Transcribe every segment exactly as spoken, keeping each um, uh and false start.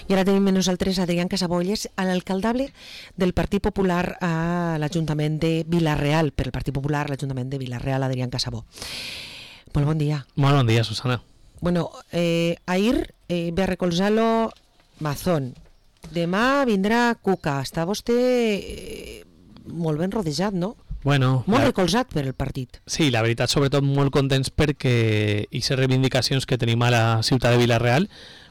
I ara tenim amb nosaltres Adrián Casabolles, l'alcaldable del Partit Popular a l'Ajuntament de Vila-real, per el Partit Popular a l'Ajuntament de Vila-real, Adrián Casabó. Molt bon dia. Molt bon dia, Susana. Bueno, eh, ahir eh, ve a recolzar-lo Mazón. Demà vindrà Cuca. Està vostè eh, molt ben rodejat, no? Bueno, molt la... recolzat per el partit. Sí, la veritat, sobretot molt contents perquè aquestes reivindicacions que tenim a la ciutat de Vila-real,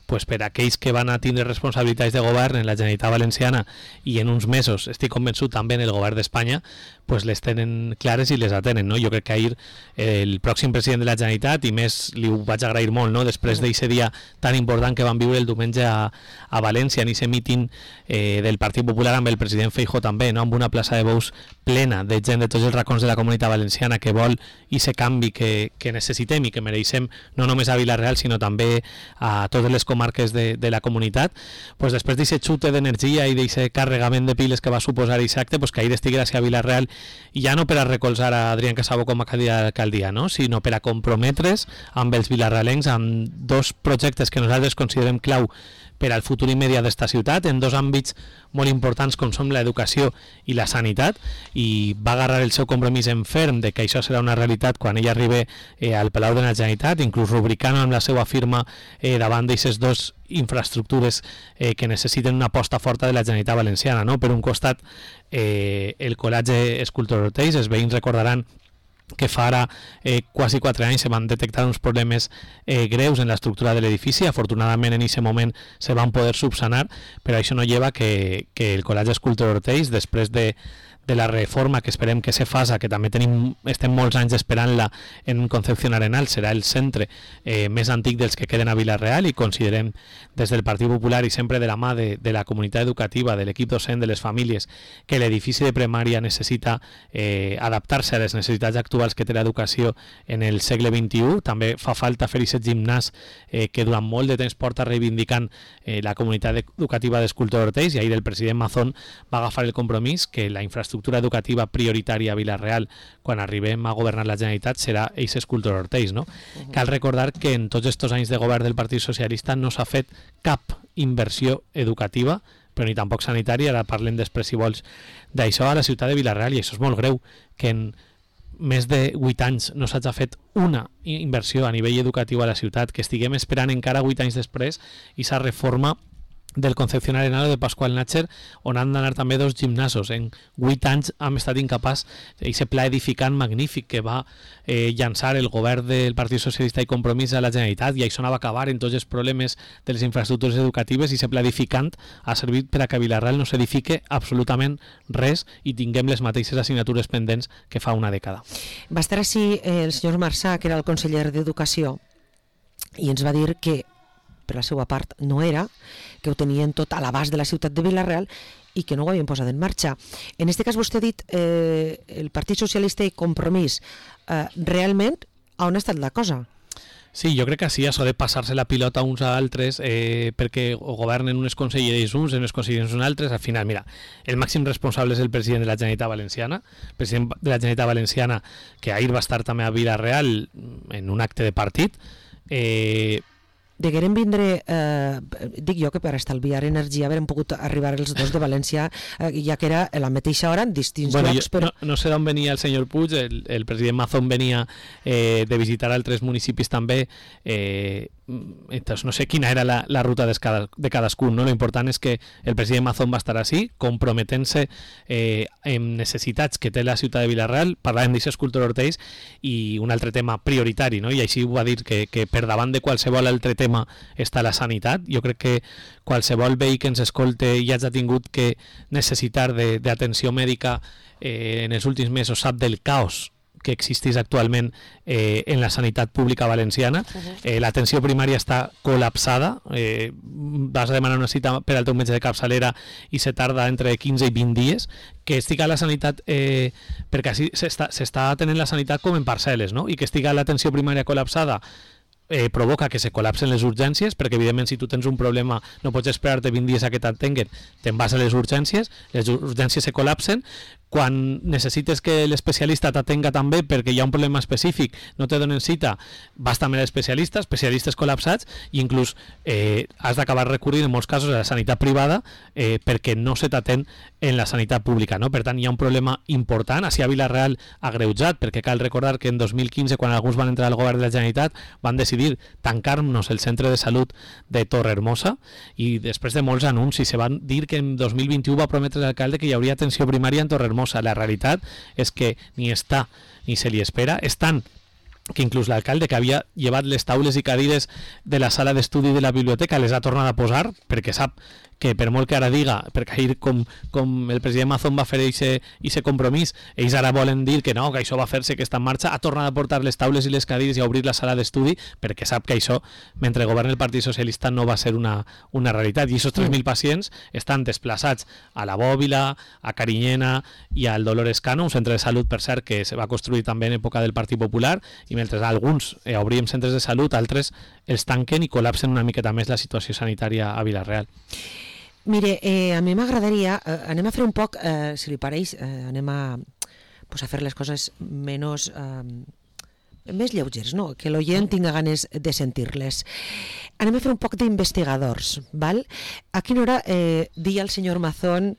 pues per aquells que van a tindre responsabilitats de govern en la Generalitat Valenciana i en uns mesos, estic convençut també en el govern d'Espanya, pues les tenen clares i les atenen, no? Jo crec que ahir el pròxim president de la Generalitat, i més li ho vaig agrair molt, no? Després d'aquest dia tan important que van viure el diumenge a, a València, en aquest míting eh, del Partit Popular amb el president Feijóo també, no? Amb una plaça de bous plena de gent de tots els racons de la comunitat valenciana que vol aquest canvi que, que necessitem i que mereixem no només a Vila-real sinó també a totes les comarques de, de la comunitat, pues després d'aquest xute d'energia i d'aquest carregament de piles que va suposar aquest acte, pues que ahir estigui a Vila-real, i ja no per a recolzar a Adrián Casabó com a candidat a l'alcaldia, no? Sinó per a comprometre's amb els vilarrealencs amb dos projectes que nosaltres considerem clau per al futur immediat d'esta ciutat, en dos àmbits molt importants com són l'educació i la sanitat, i va agarrar el seu compromís en ferm de que això serà una realitat quan ell arribi eh, al Palau de la Generalitat, inclús rubricant amb la seva firma eh, davant d'aquestes dues infraestructures eh, que necessiten una aposta forta de la Generalitat Valenciana, no? Per un costat, eh, el Col·legi Escultor Ortells, els veïns recordaran que fa ara eh, quasi quatre anys se van detectar uns problemes eh, greus en l'estructura de l'edifici. Afortunadament en aquest moment se van poder subsanar, però això no lleva que, que el Col·legi Escultor Ortells, després de de la reforma que esperem que se faça, que també tenim, estem molts anys esperant-la en Concepción Arenal, serà el centre eh, més antic dels que queden a Vila-real, i considerem des del Partit Popular i sempre de la mà de, de la comunitat educativa, de l'equip docent, de les famílies, que l'edifici de primària necessita eh, adaptar-se a les necessitats actuals que té l'educació en el segle vint-i-u. També fa falta fer aquest gimnàs eh, que durant molt de temps porta reivindicant eh, la comunitat educativa d'Escultor Ortells, i ahir el president Mazón va agafar el compromís que la infraestructura educativa prioritària a Vila-real quan arribem a governar la Generalitat serà aquest Escultor Ortells, no? Uh-huh. Cal recordar que en tots aquests anys de govern del Partit Socialista no s'ha fet cap inversió educativa, però ni tampoc sanitària. Ara parlem després, si vols, d'això a la ciutat de Vila-real, i això és molt greu, que en més de vuit anys no s'hagi fet una inversió a nivell educatiu a la ciutat, que estiguem esperant encara vuit anys després i s'ha reforma del Concepción Arenal o de Pascual Nácher, on han d'anar també dos gimnasos. En vuit anys hem estat incapaç d'aquest pla edificant magnífic que va eh, llançar el govern del Partit Socialista i Compromís a la Generalitat, i això anava a acabar en tots els problemes de les infraestructures educatives, i aquest pla edificant ha servit per a que a Vila-real no s'edifique absolutament res i tinguem les mateixes assignatures pendents que fa una dècada. Va estar així el senyor Marçà, que era el conseller d'Educació, i ens va dir que per la seva part no era, que ho tenien tot a l'abast de la ciutat de Vila-real i que no ho havien posat en marxa. En aquest cas vostè ha dit eh, el Partit Socialista i Compromís. Eh, realment, on ha estat la cosa? Sí, jo crec que sí, això de passar-se la pilota uns a altres eh, perquè governen unes conselleries uns, unes conselleries uns altres. Al final, mira, el màxim responsable és el president de la Generalitat Valenciana, el president de la Generalitat Valenciana, que ahir va estar també a Vila-real en un acte de partit. Eh, Degueren vindre, eh, dic jo que per estalviar energia haurem pogut arribar els dos de València, eh, ja que era a la mateixa hora en distints bueno, llocs. Jo, però... no, no sé d'on venia el senyor Puig, el, el president Mazón venia eh, de visitar altres municipis també, eh, entonces no sé quina era la, la ruta de, cada, de cadascun, no? Lo important és que el president Mazón va estar així, comprometent-se eh, en necessitats que té la ciutat de Vila-real. Parlàvem d'aquest Escultor Ortells, i un altre tema prioritari, no? I així ho va dir, que, que per davant de qualsevol altre tema està la sanitat. Jo crec que qualsevol veí que ens escolte i hagi tingut que necessitar d'atenció mèdica eh, en els últims mesos sap del caos que existeix actualment eh, en la sanitat pública valenciana. Uh-huh. eh, L'atenció primària està col·lapsada. Eh, vas a demanar una cita per al teu metge de capçalera i se tarda entre quinze i vint dies. Que estiga la sanitat, eh, perquè així s'està s'està tenint la sanitat com en parcel·les, no? I que estiga l'atenció primària col·lapsada eh, provoca que se col·lapsen les urgències, perquè evidentment si tu tens un problema no pots esperar-te vint dies a que t'atenguen, te'n vas a les urgències, les urgències se col·lapsen, quan necessites que l'especialista t'atenga també perquè hi ha un problema específic, no te donen cita, vas també a l'especialista, especialistes col·lapsats, i inclús eh, has d'acabar recorrint en molts casos a la sanitat privada eh, perquè no se t'atén en la sanitat pública, no? Per tant, hi ha un problema important, així a Vila-real agreujat, perquè cal recordar que en dos mil quinze, quan alguns van entrar al govern de la Generalitat, van decidir tancar-nos el centre de salut de Torrehermosa, i després de molts anuncis se van dir que en dos mil vint-i-u va prometre l'alcalde que hi hauria atenció primària en Torrehermosa. La realitat és que ni està ni se li espera, és tant que inclús l'alcalde, que havia llevat les taules i cadires de la sala d'estudi de la biblioteca, les ha tornat a posar perquè sap que per molt que ara diga, perquè ahir com, com el president Mazón va fer aquest compromís, ells ara volen dir que no, que això va fer-se, que està en marxa, ha tornat a portar les taules i les cadires i a obrir la sala d'estudi perquè sap que això, mentre governa el Partit Socialista, no va ser una, una realitat. I aquests tres mil pacients estan desplaçats a la Bòbila, a Carinyena i al Dolores Cano, un centre de salut, per cert, que se va construir també en època del Partit Popular, i mentre alguns eh, obrim centres de salut, altres els tanquen i col·lapsen una miqueta més la situació sanitària a Vila-real. Mire, eh, a mi m'agradaria, eh, anem a fer un poc, eh, si li pareix, eh, anem a, pues, a fer les coses menys, eh, més lleugers, no? Que l'oient tinga ganes de sentir-les. Anem a fer un poc d'investigadors, val? A quina hora eh, dia el senyor Mazón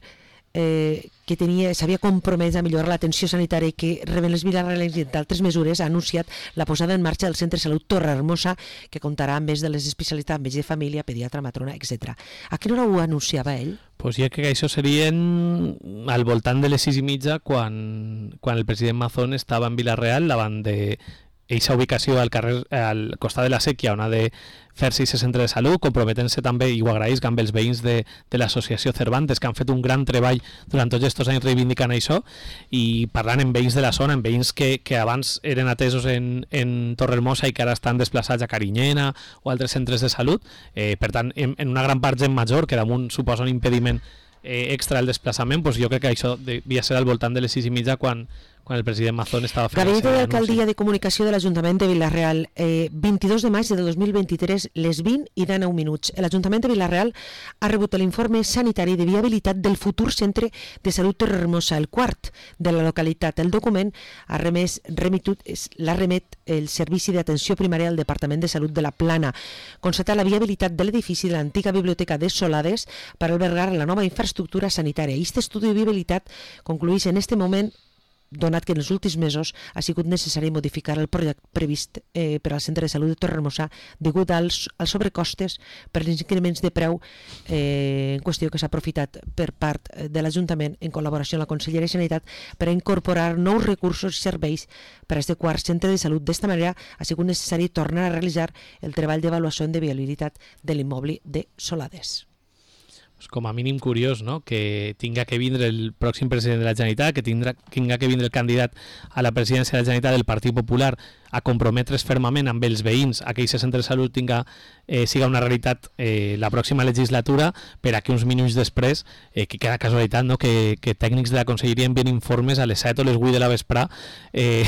eh, que tenia, s'havia compromès a millorar l'atenció sanitària i que reben les vilarrealencs i d'altres mesures, ha anunciat la posada en marxa del Centre de Salut Torrehermosa, que comptarà amb més de les especialitats, metge de família, pediatra, matrona, etcètera. A quina hora ho anunciava ell? Pues jo crec que això serien al voltant de les sis i mitja, quan, quan el president Mazón estava en Vila-real, davant de eixa ubicació al carrer, al costat de la Sèquia, on ha de fer-se aquest centre de salut, comprometent-se també, i ho agraïsc, amb els veïns de, de l'associació Cervantes, que han fet un gran treball durant tots aquests anys reivindicant això, i parlant amb veïns de la zona, amb veïns que, que abans eren atesos en, en Torrehermosa i que ara estan desplaçats a Carinyena o altres centres de salut, eh, per tant, en, en una gran part gent major, que damunt suposa un impediment eh, extra al desplaçament, doncs jo crec que això devia ser al voltant de les sis i mitja quan quan el president Mazón estava fent... Gabinet d'Alcaldia de Comunicació de l'Ajuntament de Vila-real, eh, vint-i-dos de maig de dos mil vint-i-tres, les vint i dinou minuts. L'Ajuntament de Vila-real ha rebut l'informe sanitari de viabilitat del futur Centre de Salut Torrehermosa, el quart de la localitat. El document ha remès, remitut, l'ha remet el Servici d'Atenció Primària del Departament de Salut de la Plana. Constata la viabilitat de l'edifici de l'antiga biblioteca de Solades per albergar la nova infraestructura sanitària. Aquest estudi de viabilitat conclueix en este moment, donat que en els últims mesos ha sigut necessari modificar el projecte previst eh, per al Centre de Salut de Torrehermosa degut als, als sobrecostes per els increments de preu eh, en qüestió que s'ha aprofitat per part de l'Ajuntament en col·laboració amb la Conselleria de Sanitat per a incorporar nous recursos i serveis per a este quart centre de salut. D'esta manera ha sigut necessari tornar a realitzar el treball d'avaluació de viabilitat de l'immoble de Solades. Com a mínim curiós, no?, que tinga que vindre el pròxim president de la Generalitat, que tindrà, tinga que vindre el candidat a la presidència de la Generalitat del Partit Popular a comprometre's fermament amb els veïns a que aquest centre de salut tinga, eh, siga una realitat eh, la pròxima legislatura, per a que uns minuts després, eh, que queda casualitat, no?, que, que tècnics de la Conselleria envien informes a les set o les vuit de la vesprà, eh,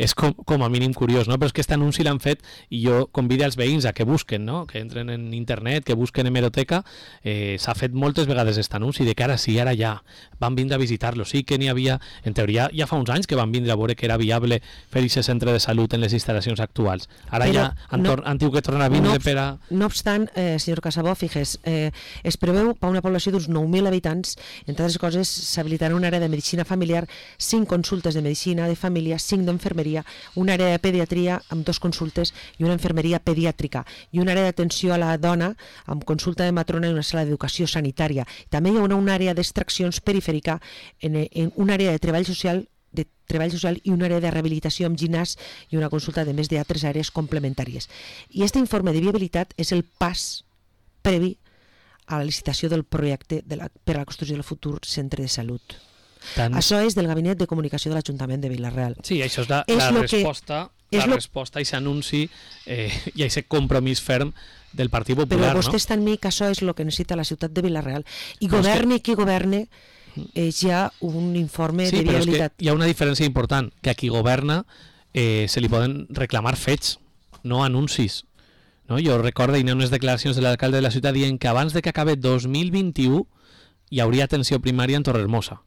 és com, com a mínim curiós, no? Però és que aquest anunci l'han fet i jo convido als veïns a que busquen, no?, que entren en internet, que busquen hemeroteca. eh, s'ha fet moltes vegades aquest anunci de que ara sí, ara ja van vindre a visitar-lo, sí que n'hi havia, en teoria ja fa uns anys que van vindre a veure que era viable fer aquest centre de salut en les instal·lacions actuals. Ara Però ja han, no, han tingut que tornar a vindre no, per a... No obstant, eh, senyor Casabó, fixes, eh, es preveu per una població d'uns nou mil habitants, entre altres coses s'habilitarà una àrea de medicina familiar, cinc consultes de medicina de família, cinc d'enfermeria, una àrea de pediatria amb dos consultes i una enfermeria pediàtrica i una àrea d'atenció a la dona amb consulta de matrona i una sala d'educació sanitària. També hi haurà una àrea d'extraccions perifèrica en, en una àrea de treball social de treball social i una àrea de rehabilitació amb gimnàs i una consulta de més d'altres àrees complementàries. I aquest informe de viabilitat és el pas previ a la licitació del projecte de la, per a la construcció del futur centre de salut. Tant... Això és del Gabinet de Comunicació de l'Ajuntament de Vila-real. Sí, això és la, és la resposta, que, la lo... resposta a aquest anunci eh, i a aquest compromís ferm del Partit Popular. Però vostè està en mi que això és el que necessita la ciutat de Vila-real. I governi que... qui governe, és ja un informe sí, de viabilitat. Sí, però és que hi ha una diferència important, que a qui governa eh, se li poden reclamar fets, no anuncis. no? Jo recordo hi ha unes declaracions de l'alcalde de la ciutat dient que abans de que acabe dos mil vint-i-u hi hauria atenció primària en Torrehermosa.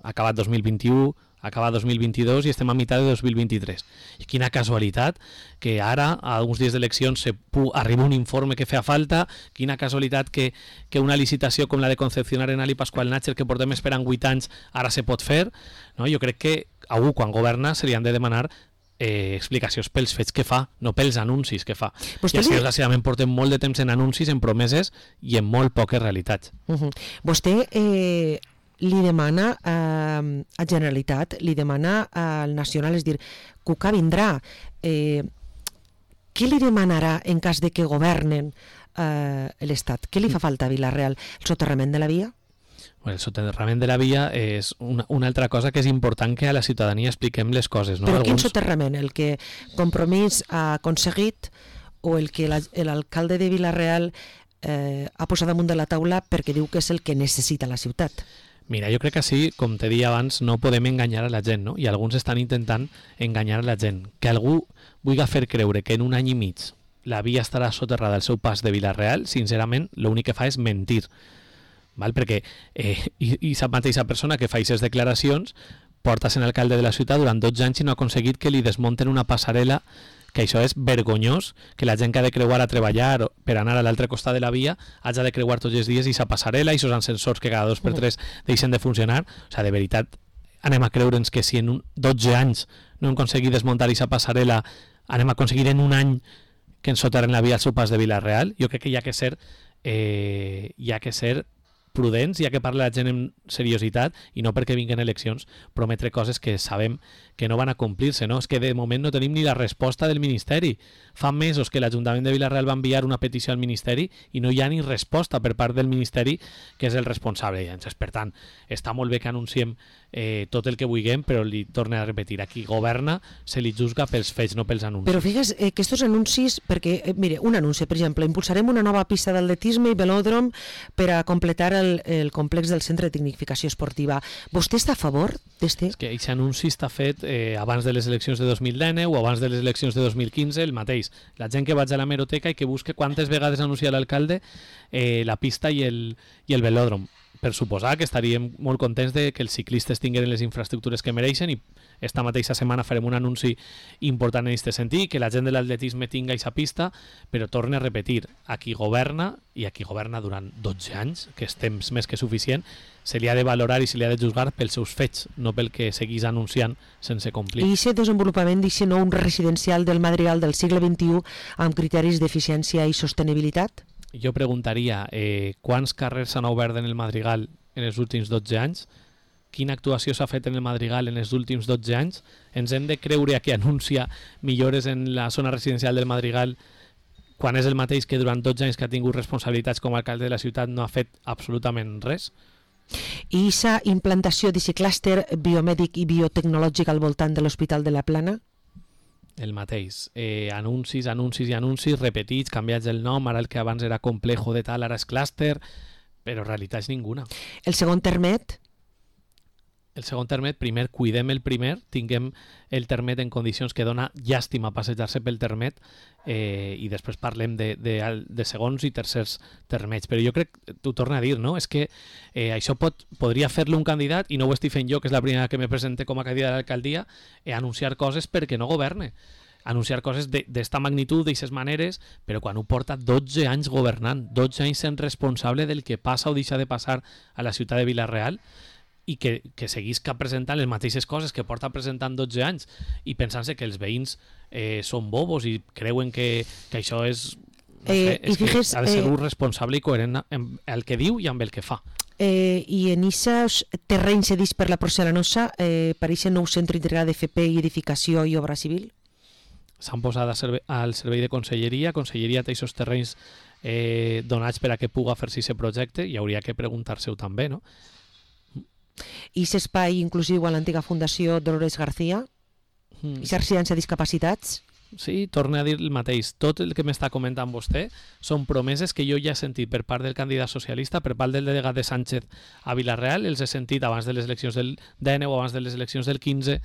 Ha acabat dos mil vint-i-u, ha acabat dos mil vint-i-dos i estem a meitat de dos mil vint-i-tres. I quina casualitat que ara, a uns dies d'eleccions, se arriba un informe que feia falta, quina casualitat que, que una licitació com la de Concepción Arenal i Pascual Nácher, que portem esperant vuit anys, ara se pot fer. No? Jo crec que algú, quan governa, se li han de demanar eh, explicacions pels fets que fa, no pels anuncis que fa. Vostè I així, li... desgraciadament, portem molt de temps en anuncis, en promeses i en molt poques realitats. Uh -huh. Vostè... Eh... li demana eh, a Generalitat, li demana al Nacional, és dir, Cuca vindrà. Eh, què li demanarà en cas de que governen eh, l'Estat? Què li fa falta a Vila-real? El soterrament de la via? Bueno, el soterrament de la via és una, una altra cosa que és important que a la ciutadania expliquem les coses. No? Però Alguns... quin soterrament? El que Compromís ha aconseguit o el que l'alcalde de Vila-real eh, ha posat damunt de la taula perquè diu que és el que necessita la ciutat? Mira, jo crec que sí, com te deia abans, no podem enganyar a la gent, no? I alguns estan intentant enganyar a la gent. Que algú vulgui fer creure que en un any i mig la via estarà soterrada al seu pas de Vila-real, sincerament, l'únic que fa és mentir. Val? Perquè eh, i, i la mateixa persona que fa aquestes declaracions porta sent alcalde de la ciutat durant dotze anys i no ha aconseguit que li desmunten una passarel·la, que això és vergonyós, que la gent que ha de creuar a treballar per anar a l'altre costat de la via hagi de creuar tots els dies i sa passarel·la i aquests ascensors que cada dos per tres deixen de funcionar. O sigui, de veritat, anem a creure'ns que si en un dotze anys no hem aconseguit desmuntar aquesta passarel·la, anem a aconseguir en un any que ens soterren la via al seu pas de Vila-real? Jo crec que hi ha que ser eh, hi ha que ser prudents, hi ha que parlar la gent amb seriositat i no perquè vinguen eleccions prometre coses que sabem que no van a complir-se, no? És que de moment no tenim ni la resposta del Ministeri. Fa mesos que l'Ajuntament de Vila-real va enviar una petició al Ministeri i no hi ha ni resposta per part del Ministeri, que és el responsable. Llavors, per tant, està molt bé que anunciem eh, tot el que vulguem, però li torne a repetir, a qui governa se li juzga pels fets, no pels anuncis. Però figues eh, que estos anuncis, perquè, eh, mire, un anunci, per exemple, impulsarem una nova pista d'atletisme i velòdrom per a completar el, el complex del Centre de Tecnificació Esportiva. Vostè està a favor d'este? És que aquest anunci està fet eh, abans de les eleccions de dos mil dinou o abans de les eleccions de dos mil quinze, el mateix. La gent que vaig a l'hemeroteca i que busque quantes vegades anuncia l'alcalde eh, la pista i el, i el velòdrom. Per suposar que estaríem molt contents de que els ciclistes tinguin les infraestructures que mereixen i esta mateixa setmana farem un anunci important en aquest sentit, que la gent de l'atletisme tinga aquesta pista, però torne a repetir, a qui governa, i a qui governa durant dotze anys, que és temps més que suficient, se li ha de valorar i se li ha de juzgar pels seus fets, no pel que seguís anunciant sense complir. I aquest desenvolupament d'aquest nou residencial del Madrigal del segle vint-i-u amb criteris d'eficiència i sostenibilitat? Jo preguntaria eh, quants carrers s'han obert en el Madrigal en els últims dotze anys, quina actuació s'ha fet en el Madrigal en els últims dotze anys, ens hem de creure a qui anuncia millores en la zona residencial del Madrigal quan és el mateix que durant dotze anys que ha tingut responsabilitats com a alcalde de la ciutat no ha fet absolutament res? I aquesta implantació d'aquest clúster biomèdic i biotecnològic al voltant de l'Hospital de la Plana? El mateix. Eh, anuncis, anuncis i anuncis repetits, canviats el nom, ara el que abans era complejo de tal, ara és clúster, però realitats ninguna. El segon termet? El segon termet, primer cuidem el primer, tinguem el termet en condicions que dona llàstima passejar-se pel termet eh, i després parlem de, de, de segons i tercers termets. Però jo crec, t'ho torno a dir, no? És que eh, això pot, podria fer-lo un candidat, i no ho estic fent jo, que és la primera que me presente com a candidat a l'alcaldia, eh, anunciar coses perquè no governe. Anunciar coses d'esta magnitud, d'aquestes maneres, però quan ho porta dotze anys governant, dotze anys sent responsable del que passa o deixa de passar a la ciutat de Vila-real, i que, que seguisca presentant les mateixes coses que porta presentant dotze anys i pensant-se que els veïns eh, són bobos i creuen que, que això és, no sé, eh, és fijes, que ha de ser eh, un responsable i coherent amb el que diu i amb el que fa. Eh, I en aquests terrenys cedits per la porcelanosa eh, per aquest nou centre integrat d'F P i edificació i obra civil? S'han posat a servei, al servei de conselleria, conselleria té aquests terrenys eh, donats per a que puga fer-se aquest projecte i hauria que preguntar-se-ho també, no? I aquest espai inclusiu a l'antiga Fundació Dolores García? Mm. I aquesta residència de discapacitats? Sí, torno a dir el mateix. Tot el que m'està comentant vostè són promeses que jo ja he sentit per part del candidat socialista, per part del delegat de Sánchez a Vila-real, els he sentit abans de les eleccions del dinou o abans de les eleccions del quinze,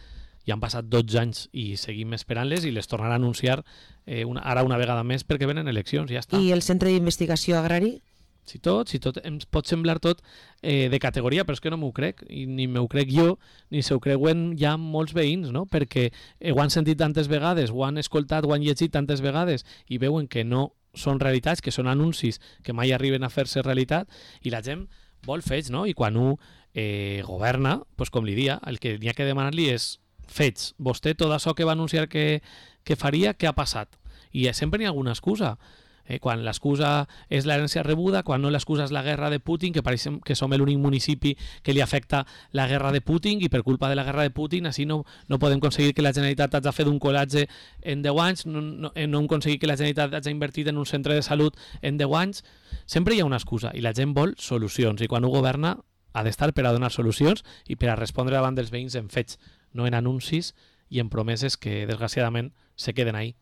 i han passat dotze anys i seguim esperant-les i les tornarà a anunciar eh, una, ara una vegada més perquè venen eleccions, ja està. I el Centre d'Investigació Agrari? Si tot, si tot ens pot semblar tot eh, de categoria, però és que no m'ho crec, i ni m'ho crec jo, ni s'ho creuen ja molts veïns, no? Perquè eh, ho han sentit tantes vegades, ho han escoltat, ho han llegit tantes vegades i veuen que no són realitats, que són anuncis que mai arriben a fer-se realitat i la gent vol fets, no? I quan un eh, governa, pues com li dia, el que n'hi ha que demanar-li és fets. Vostè tot això que va anunciar que, que faria, què ha passat? I sempre n'hi ha alguna excusa. Eh, quan l'excusa és l'herència rebuda, quan no l'excusa és la guerra de Putin, que pareix que som l'únic municipi que li afecta la guerra de Putin i per culpa de la guerra de Putin així no, no podem aconseguir que la Generalitat hagi fet un colatge en deu anys, no, no, no hem aconseguit que la Generalitat hagi invertit en un centre de salut en deu anys. Sempre hi ha una excusa i la gent vol solucions i quan un governa ha d'estar per a donar solucions i per a respondre davant dels veïns en fets, no en anuncis i en promeses que desgraciadament se queden ahí.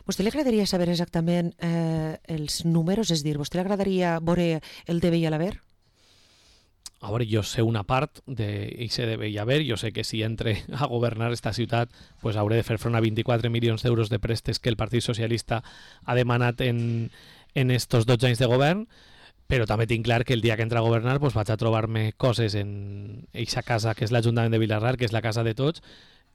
Vostè li agradaria saber exactament eh, els números? És dir, vostè li agradaria veure el D B i l'haver? A veure, jo sé una part d'aquest D B i haver, jo sé que si entre a governar esta ciutat pues hauré de fer front a vint-i-quatre milions d'euros de prestes que el Partit Socialista ha demanat en, en estos dotze anys de govern, però també tinc clar que el dia que entra a governar pues vaig a trobar-me coses en eixa casa que és l'Ajuntament de Vilarrar, que és la casa de tots,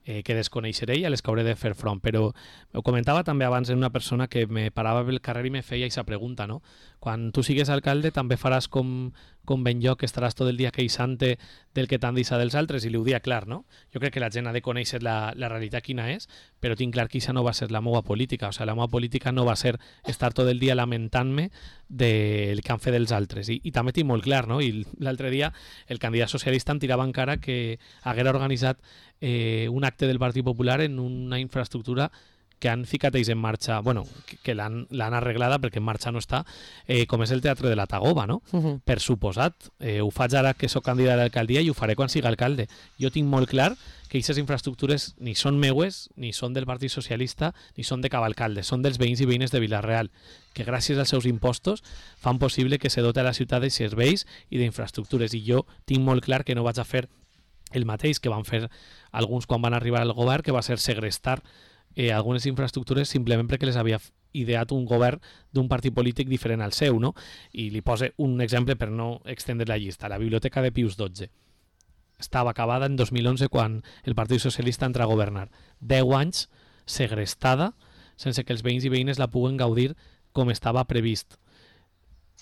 eh, que desconeixeré i a les que hauré de fer front. Però ho comentava també abans en una persona que me parava pel carrer i me feia aquesta pregunta, no? Quan tu sigues alcalde també faràs com, com ben jo, que estaràs tot el dia queixant-te del que t'han dit dels altres, i li ho dia clar, no? Jo crec que la gent ha de conèixer la, la realitat quina és, però tinc clar que això no va ser la meva política. O sigui, la meva política no va ser estar tot el dia lamentant-me del que han fet els altres. I, i també tinc molt clar, no? I l'altre dia el candidat socialista em tirava encara que haguera organitzat eh, un acte del Partit Popular en una infraestructura que han ficat ells en marxa, bueno, que, que l'han arreglada perquè en marxa no està, eh, com és el Teatre de la Tagoba, no? Uh-huh. Per suposat, eh, ho faig ara que sóc candidat a l'alcaldia i ho faré quan siga alcalde. Jo tinc molt clar que aquestes infraestructures ni són meues, ni són del Partit Socialista, ni són de cap alcalde, són dels veïns i veïnes de Vila-real, que gràcies als seus impostos fan possible que se dote a la ciutat de serveis i d'infraestructures. I jo tinc molt clar que no vaig a fer el mateix que van fer alguns quan van arribar al govern, que va ser segrestar eh, algunes infraestructures simplement perquè les havia ideat un govern d'un partit polític diferent al seu, no? I li pose un exemple per no extendre la llista. La biblioteca de Pius dotze estava acabada en dos mil onze quan el Partit Socialista entra a governar. Deu anys segrestada sense que els veïns i veïnes la puguen gaudir com estava previst.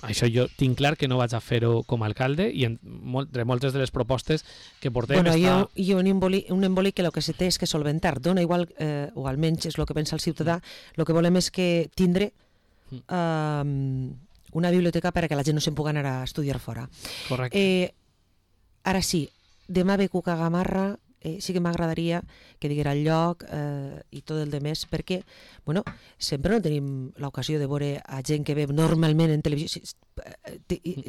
Això jo tinc clar que no vaig a fer-ho com a alcalde i entre moltes de les propostes que portem bueno, està... Jo, jo un, emboli, un embolic que el que se té és que solventar. Dona igual, eh, o almenys és el que pensa el ciutadà, el que volem és que tindre eh, una biblioteca perquè la gent no se'n pugui anar a estudiar fora. Correcte. Eh, ara sí, demà ve Cuca Gamarra, eh, sí que m'agradaria que diguera el lloc eh, i tot el de més, perquè bueno, sempre no tenim l'ocasió de veure a gent que ve normalment en televisió.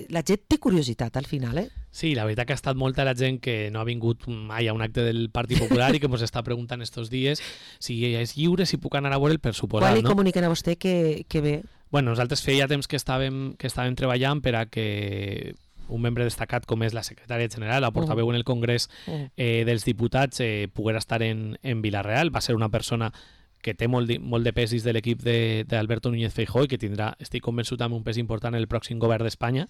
La gent té curiositat al final, eh? Sí, la veritat que ha estat molta la gent que no ha vingut mai a un acte del Partit Popular i que ens està preguntant estos dies si és lliure, si puc anar a veure'l, per suposar, Quan li no? comuniquen a vostè que, que ve? Bueno, nosaltres feia temps que estàvem, que estàvem treballant per a que un membre destacat com és la secretària general, la portaveu en el Congrés eh, dels Diputats, eh, poguera estar en, en Vila-real. Va ser una persona que té molt, molt de pes de l'equip d'Alberto Núñez Feijóo i que tindrà, estic convençut, amb un pes important en el pròxim govern d'Espanya,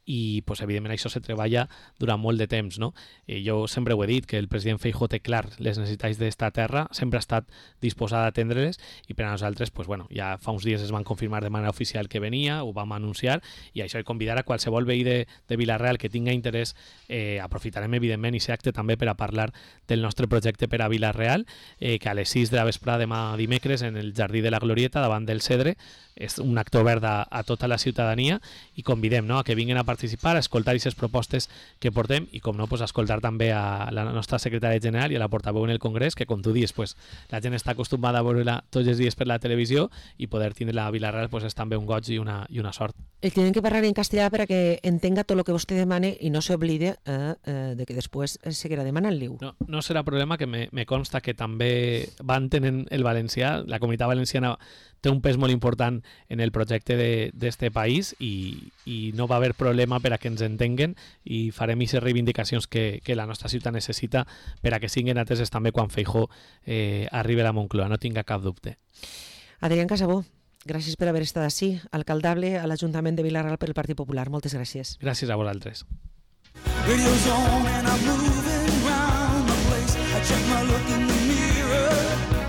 i pues, evidentment això se treballa durant molt de temps, no? I jo sempre ho he dit, que el president Feijóo té clar les necessitats d'esta terra, sempre ha estat disposada a atendre-les, i per a nosaltres pues, bueno, ja fa uns dies es van confirmar de manera oficial que venia, ho vam anunciar, i això he convidar a qualsevol veí de, de Vila-real que tinga interès, eh, aprofitarem evidentment i ser acte també per a parlar del nostre projecte per a Vila-real, eh, que a les sis de la vesprada demà dimecres en el Jardí de la Glorieta davant del Cedre és un acte obert a, a tota la ciutadania i convidem, no?, a que vinguin a participar, a escoltar aquestes propostes que portem i, com no, pues, a escoltar també a la nostra secretària general i a la portaveu en el Congrés, que, com tu dius, pues, la gent està acostumada a veure-la tots els dies per la televisió i poder tindre-la a Vila-real pues, és també un goig i una, i una sort. El tienen que parlar en castellà per a que entenga tot el que vostè demane i no s'oblide eh, eh, de que després seguirà demanant-li-ho. No, no serà problema, que me, me consta que també van tenint el valencià, la comunitat valenciana té un pes molt important en el projecte d'este país i, i no va haver problema per a que ens entenguen i farem aquestes reivindicacions que, que la nostra ciutat necessita per a que siguin ateses també quan Feijóo eh, arribi a la Moncloa, no tinga cap dubte. Adrián Casabó, gràcies per haver estat així, alcaldable a l'Ajuntament de Vila-real per el Partit Popular. Moltes gràcies. Gràcies a vosaltres. Radio's on and I'm moving round the place. I check my look